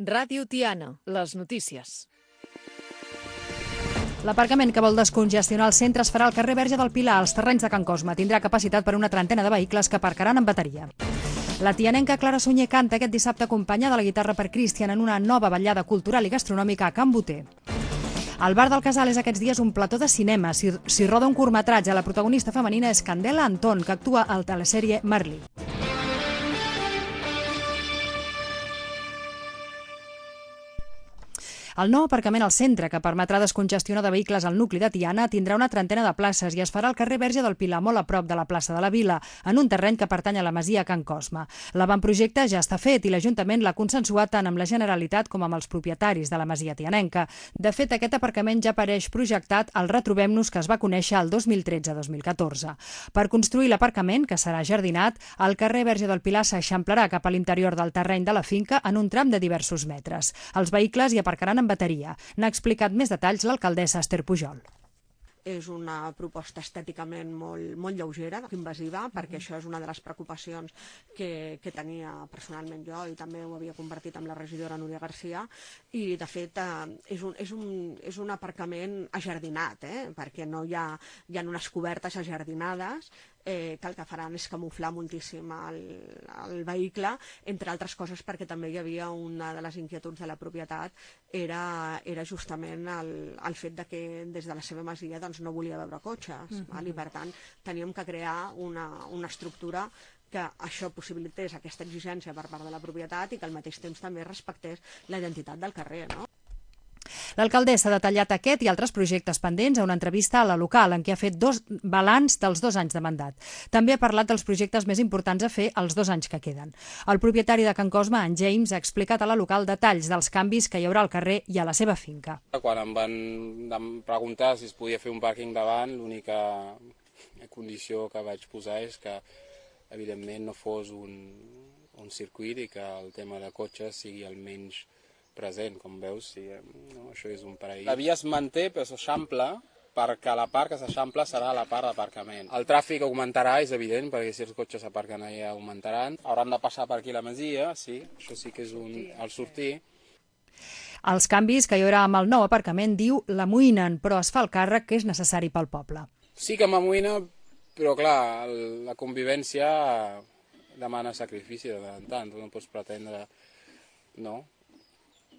Ràdio Tiana, les notícies. L'aparcament que vol descongestionar el centre es farà al carrer Verge del Pilar, als terrenys de Can Cosme. Tindrà capacitat per una trentena de vehicles que aparcaran amb bateria. La tianenca Clara Sunyer canta aquest dissabte acompanyada de la guitarra per Cristian en una nova vetllada cultural i gastronòmica a Can Boter. Al Bar del Casal és aquests dies un plató de cinema. S'hi roda un curtmetratge. La protagonista femenina és Candela Anton, que actua a la telesèrie Merlí. El nou aparcament al centre, que permetrà descongestionar de vehicles al nucli de Tiana, tindrà una trentena de places i es farà al carrer Verge del Pilar, molt a prop de la plaça de la Vila, en un terreny que pertany a la masia Can Cosme. L'avantprojecte ja està fet i l'Ajuntament l'ha consensuat tant amb la Generalitat com amb els propietaris de la masia tianenca. De fet, aquest aparcament ja apareix projectat al Retrobem-nos que es va conèixer el 2013-2014. Per construir l'aparcament, que serà jardinat, el carrer Verge del Pilar s'eixamplarà cap a l'interior del terreny de la finca en un tram de diversos metres. Els vehicles hi aparcaran amb bateria. N'ha explicat més detalls l'alcaldessa Esther Pujol. És una proposta estèticament molt lleugera, invasiva, perquè això és una de les preocupacions que tenia personalment jo i també ho havia compartit amb la regidora Núria Garcia, i de fet és un aparcament ajardinat, perquè no hi ha unes cobertes ajardinades que el que faran és camuflar moltíssim el vehicle, entre altres coses perquè també hi havia una de les inquietuds de la propietat era justament el fet de que des de la seva masia no volia veure cotxes, i per tant teníem que crear una estructura que això possibilités aquesta exigència per part de la propietat i que al mateix temps també respectés la identitat del carrer, no? L'alcaldessa ha detallat aquest i altres projectes pendents a una entrevista a La Local, en què ha fet balanç dels 2 anys de mandat. També ha parlat dels projectes més importants a fer els 2 anys que queden. El propietari de Can Cosme, en James, ha explicat a La Local detalls dels canvis que hi haurà al carrer i a la seva finca. Quan em van preguntar si es podia fer un pàrquing davant, l'única condició que vaig posar és que, evidentment, no fos un circuit i que el tema de cotxes sigui el menys present, com veus, això és un paraíso. La via es manté, però s'eixampla, perquè la part que s'eixampla serà la part d'aparcament. El tràfic augmentarà, és evident, perquè si els cotxes aparquen allà augmentaran. Hauran de passar per aquí la masia, sí, això sí que és el sortir. Els canvis que hi haurà amb el nou aparcament, diu, l'amoïnen, però es fa el càrrec que és necessari pel poble. Sí que m'amoïna, però clar, la convivència demana sacrifici de tant en tant. Tu no pots pretendre, no?,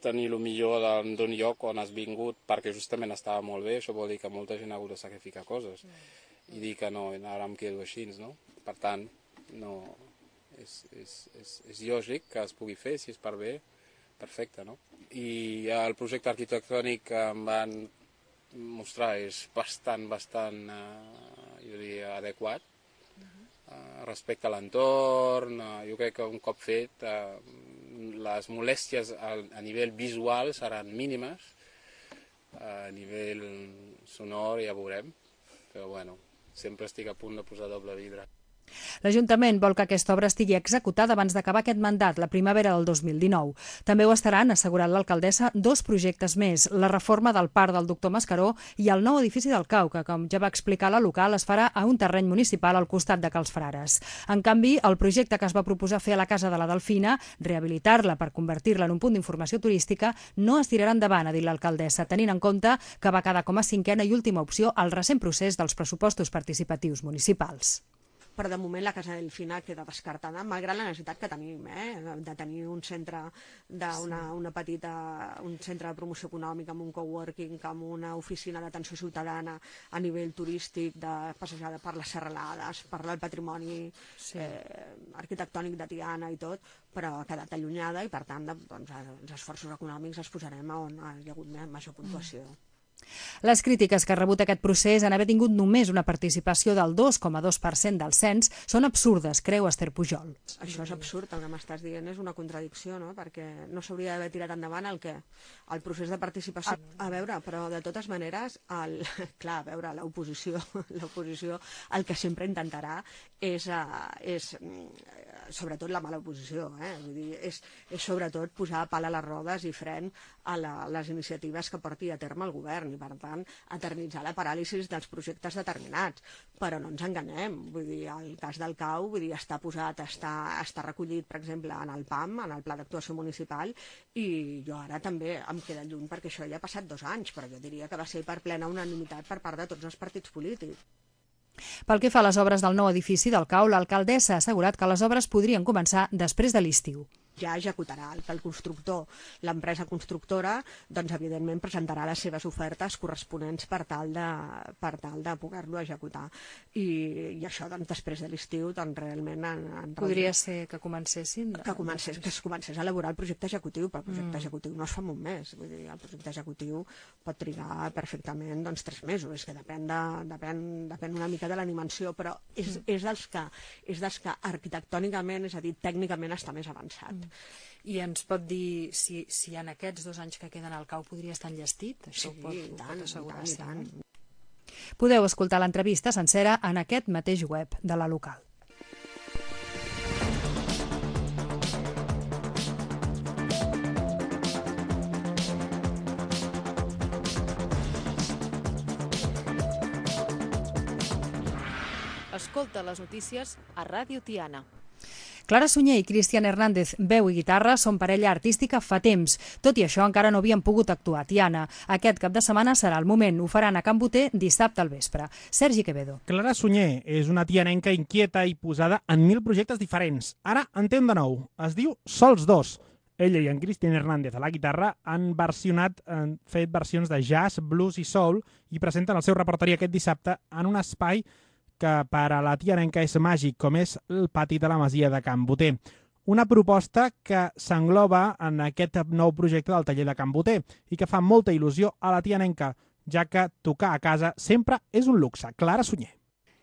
tenir el millor d'un lloc on has vingut perquè justament estava molt bé. Això vol dir que molta gent ha hagut de sacrificar coses i dir que no, ara em quedo així, no? Per tant, no, és lògic que es pugui fer, si és per bé, perfecte, no? I el projecte arquitectònic que em van mostrar és bastant, jo diria, adequat respecte a l'entorn. Jo crec que un cop fet les molèsties a nivell visual seran mínimes, a nivell sonor ja veurem, però bueno, sempre estic a punt de posar doble vidre. L'Ajuntament vol que aquesta obra estigui executada abans d'acabar aquest mandat, la primavera del 2019. També ho estaran, ha assegurat l'alcaldessa, 2 projectes més, la reforma del parc del Doctor Mascaró i el nou edifici del Cau, que, com ja va explicar La Local, es farà a un terreny municipal al costat de Cals Frares. En canvi, el projecte que es va proposar fer a la Casa de la Delfina, rehabilitar-la per convertir-la en un punt d'informació turística, no es tirarà endavant, ha dit l'alcaldessa, tenint en compte que va quedar com a 5a i última opció al recent procés dels pressupostos participatius municipals. Però de moment la Casa Delfina queda descartada, malgrat la necessitat que tenim de tenir un centre un centre de promoció econòmica amb un coworking, amb una oficina d'atenció ciutadana a nivell turístic, de passejada per les serralades, per el patrimoni arquitectònic de Tiana i tot, però ha quedat allunyada i per tant els esforços econòmics els posarem on hi ha hagut major puntuació. Les crítiques que ha rebut aquest procés en haver tingut només una participació del 2,2% del cens són absurdes, creu Esther Pujol. Això és absurd, el que m'estàs dient és una contradicció, no? Perquè no s'hauria d'haver tirat endavant el procés de participació. A veure, però de totes maneres, clar, a veure, l'oposició el que sempre intentarà és sobretot la mala oposició, vull dir, és sobretot posar pal a les rodes i fren a les iniciatives que porti a terme el govern. i per tant eternitzar la paràlisi dels projectes determinats. Però no ens enganyem, vull dir, el cas del CAU, vull dir, està posat, està recollit, per exemple, en el PAM, en el Pla d'Actuació Municipal, i jo ara també em queda lluny perquè això ja ha passat 2 anys, però jo diria que va ser per plena unanimitat per part de tots els partits polítics. Pel que fa a les obres del nou edifici del CAU, l'alcaldessa ha assegurat que les obres podrien començar després de l'estiu. Ja executarà el que el constructor, l'empresa constructora, doncs evidentment presentarà les seves ofertes corresponents per tal de poder-lo executar. I això doncs, després de l'estiu doncs, realment... Podria ser que comencessin? Que es comencés a elaborar el projecte executiu, però el projecte executiu no es fa en un mes. Vull dir, el projecte executiu pot trigar perfectament 3 mesos, és que depèn una mica de la dimensió, però és dels que arquitectònicament, és a dir, tècnicament està més avançat. I ens pot dir si en aquests 2 anys que queden al CAU podria estar enllestit? Això ho pot assegurar. I tant. Podeu escoltar l'entrevista sencera en aquest mateix web de la local. Escolta les notícies a Ràdio Tiana. Clara Sunyer i Cristian Hernández, veu i guitarra, són parella artística fa temps. Tot i això, encara no havien pogut actuar a Tiana. Aquest cap de setmana serà el moment. Ho faran a Can Boter dissabte al vespre. Sergi Quevedo. Clara Sunyer és una tianenca inquieta i posada en 1000 projectes diferents. Ara en té un de nou. Es diu Sols 2. Ella i en Cristian Hernández a la guitarra han fet versions de jazz, blues i soul i presenten el seu repertori aquest dissabte en un espai que per a la tianenca és màgic, com és el pati de la masia de Can Boter. Una proposta que s'engloba en aquest nou projecte del taller de Can Boter i que fa molta il·lusió a la tianenca, ja que tocar a casa sempre és un luxe. Clara Sunyer.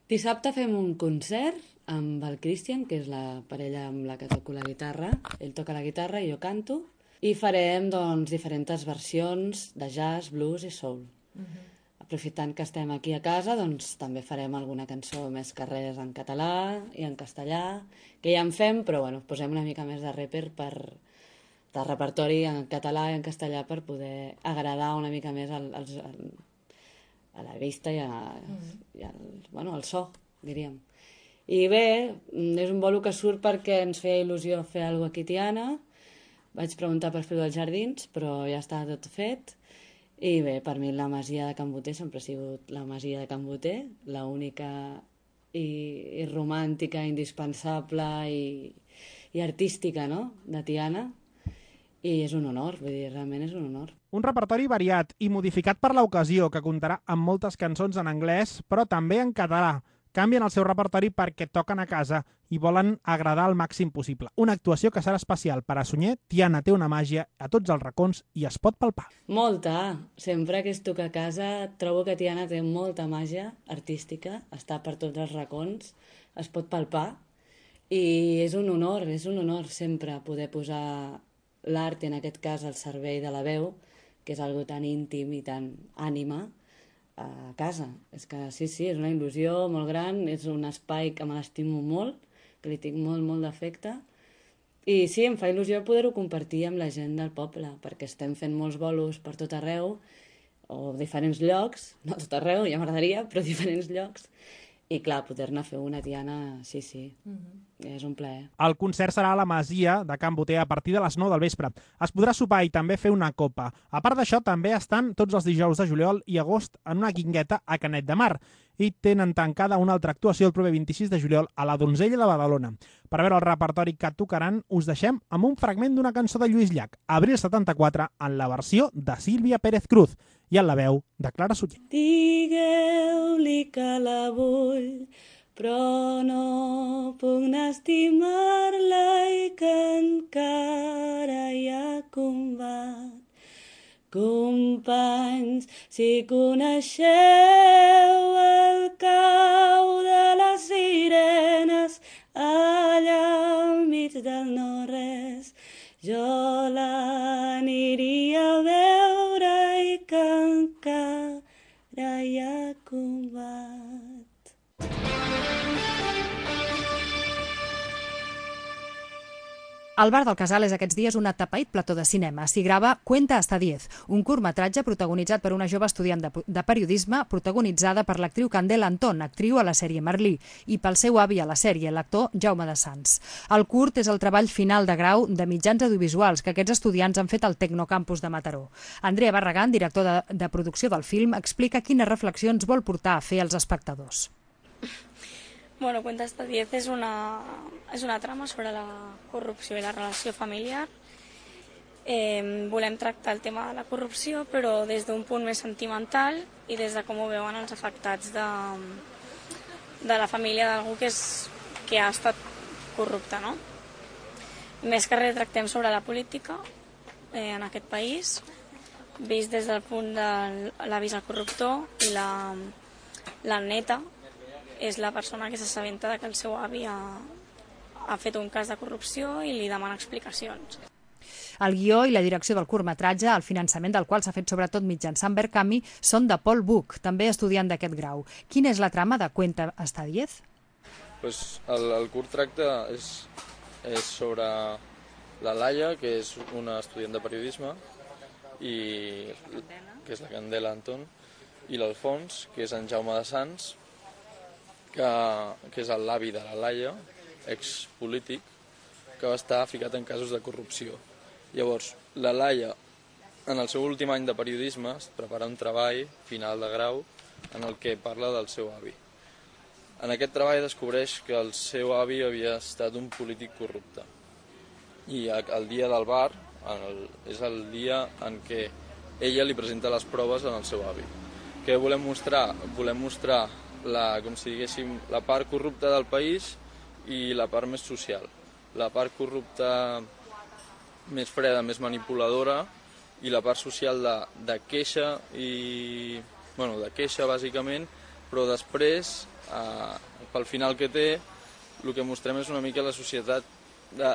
Dissabte fem un concert amb el Cristian, que és la parella amb la que toco la guitarra. Ell toca la guitarra i jo canto. I farem diferents versions de jazz, blues i soul. Aprofitant que estem aquí a casa, doncs també farem alguna cançó més que res en català i en castellà, que ja en fem, però bueno, posem una mica més de de repertori en català i en castellà per poder agradar una mica més a la vista i al so, diríem. I bé, és un bolo que surt perquè ens feia il·lusió fer alguna cosa aquí a Tiana. Vaig preguntar per fer-ho als jardins, però ja està tot fet. I bé, per mi la masia de Can Boter sempre ha sigut la masia de Can Boter, l'única i romàntica, indispensable i artística, no?, de Tiana. I és un honor, vull dir, realment és un honor. Un repertori variat i modificat per l'ocasió, que comptarà amb moltes cançons en anglès, però també en català. Canvien el seu repertori perquè toquen a casa i volen agradar al màxim possible. Una actuació que serà especial per a Sunyer. Tiana té una màgia a tots els racons i es pot palpar. Molta. Sempre que es toca a casa trobo que Tiana té molta màgia artística, està per tots els racons, es pot palpar i és un honor sempre poder posar l'art, en aquest cas el servei de la veu, que és algo tan íntim i tan ànima, a casa. És que sí, és una il·lusió molt gran, és un espai que me l'estimo molt, que li tinc molt d'afecte, i sí, em fa il·lusió poder-ho compartir amb la gent del poble, perquè estem fent molts bolos per tot arreu, o diferents llocs, no tot arreu, ja m'agradaria, però diferents llocs, i clar, poder-ne fer una Tiana, sí, és un plaer. El concert serà a la masia de Can Boter a partir de les 9 del vespre. Es podrà sopar i també fer una copa. A part d'això, també estan tots els dijous de juliol i agost en una guingueta a Canet de Mar i tenen tancada una altra actuació el proper 26 de juliol a la Donzella de Badalona. Per veure el repertori que tocaran, us deixem amb un fragment d'una cançó de Lluís Llach, Abril 74, en la versió de Sílvia Pérez Cruz i en la veu de Clara Sunyer. Digueu-li que la vull, però no puc estimar-la i que encara hi ha combat. Companys, si coneixeu el cau de les sirenes allà al mig del no-res, jo l'aniria a veure i que encara hi ha combat. Al Bar del Casal és aquests dies un atapeït plató de cinema. S'hi grava Cuenta hasta 10, un curtmetratge protagonitzat per una jove estudiant de periodisme protagonitzada per l'actriu Candela Antón, actriu a la sèrie Merlí, i pel seu avi a la sèrie, l'actor Jaume de Sans. El curt és el treball final de grau de mitjans audiovisuals que aquests estudiants han fet al Tecnocampus de Mataró. Andrea Barragán, director de producció del film, explica quines reflexions vol portar a fer als espectadors. Bueno, Cuenta hasta 10 es una trama sobre la corrupció i la relació familiar. Volem tractar el tema de la corrupció, però des d'un punt més sentimental i des de com ho veuen els afectats de la família d'algú que ha estat corrupte, no? Més que res tractem sobre la política en aquest país, vist des del punt de l'avi al corruptor i la neta, és la persona que s'assabenta que el seu avi ha fet un cas de corrupció i li demana explicacions. El guió i la direcció del curtmetratge, el finançament del qual s'ha fet sobretot mitjançant Verkami, són de Paul Buch, també estudiant d'aquest grau. Quina és la trama de Cuenta hasta 10? El curt tracta és sobre la Laia, que és una estudiant de periodisme, que és la Candela Antón, i l'Alfons, que és en Jaume de Sans, que és l'avi de la Laia, expolític, que va estar ficat en casos de corrupció. Llavors, la Laia, en el seu últim any de periodisme, es prepara un treball final de grau en el que parla del seu avi. En aquest treball descobreix que el seu avi havia estat un polític corrupte. I el dia del bar és el dia en què ella li presenta les proves al seu avi. Què volem mostrar? Volem mostrar com si diguéssim, la part corrupta del país i la part més social. La part corrupta més freda, més manipuladora, i la part social de queixa, de queixa bàsicament, però després, pel final que té, el que mostrem és una mica la societat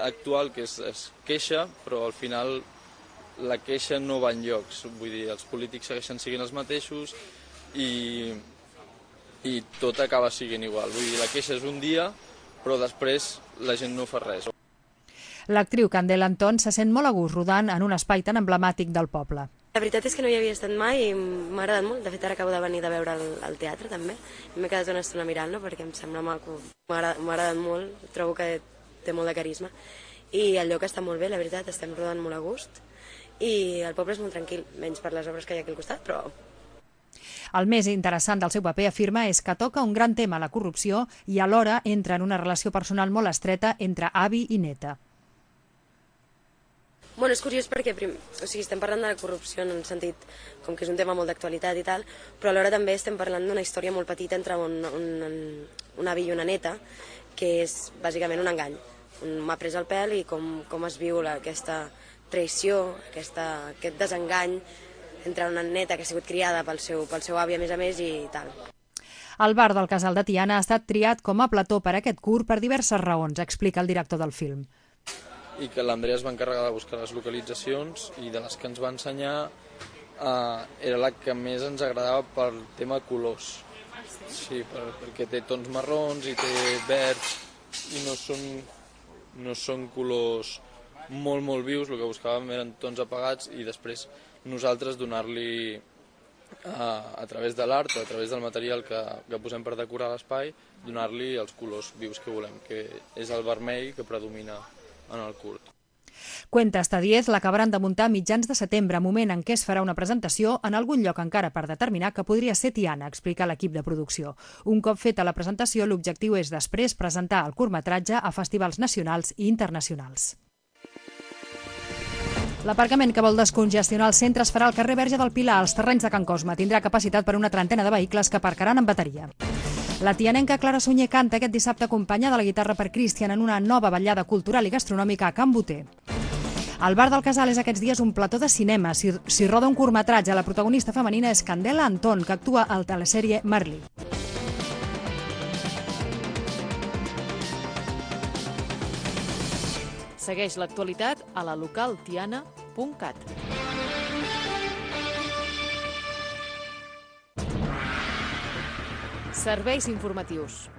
actual, que es queixa, però al final la queixa no va enlloc. Vull dir, els polítics segueixen sent els mateixos i tot acaba sent igual. Vull dir, la queixa és un dia, però després la gent no fa res. L'actriu Candela Antón se sent molt a gust rodant en un espai tan emblemàtic del poble. La veritat és que no hi havia estat mai i m'ha agradat molt. De fet, ara acabo de venir de veure el teatre, també. M'he quedat una estona mirant-lo perquè em sembla maco. M'ha agradat molt, trobo que té molt de carisma. I el lloc està molt bé, la veritat, estem rodant molt a gust. I el poble és molt tranquil, menys per les obres que hi ha aquí al costat, però... El més interessant del seu paper, afirma, és que toca un gran tema, la corrupció, i alhora entra en una relació personal molt estreta entre avi i neta. Bueno, és curiós perquè estem parlant de la corrupció en un sentit com que és un tema molt d'actualitat i tal, però alhora també estem parlant d'una història molt petita entre un avi i una neta, que és bàsicament un engany. M'ha pres el pèl i com es viu aquesta traïció, aquest desengany entre una neta que ha sigut criada pel seu avi a més i tal. El Bar del Casal de Tiana ha estat triat com a plató per aquest curt per diverses raons, explica el director del film. I que l'Andrea es va encarregar de buscar les localitzacions i de les que ens va ensenyar era la que més ens agradava pel tema colors. Sí, perquè té tons marrons i té verds i no són colors molt vius, el que buscàvem eren tons apagats i després nosaltres donar-li a través de l'art o a través del material que posem per decorar l'espai, donar-li els colors vius que volem, que és el vermell que predomina en el curt. Cuenta hasta 10 l'acabaran de muntar a mitjans de setembre, moment en què es farà una presentació en algun lloc encara per determinar que podria ser Tiana, explica l'equip de producció. Un cop feta la presentació, l'objectiu és després presentar el curtmetratge a festivals nacionals i internacionals. L'aparcament que vol descongestionar el centre es farà al carrer Verge del Pilar, als terrenys de Can Cosme. Tindrà capacitat per una trentena de vehicles que aparcaran en bateria. La tianenca Clara Sunyer canta aquest dissabte acompanyada de la guitarra per Christian en una nova vetllada cultural i gastronòmica a Can Boter. El Bar del Casal és aquests dies un plató de cinema. S'hi roda un curtmetratge. La protagonista femenina és Candela Antón, que actua a la telesèrie Merlí. Segueix l'actualitat a la localtiana.cat. Serveis informatius.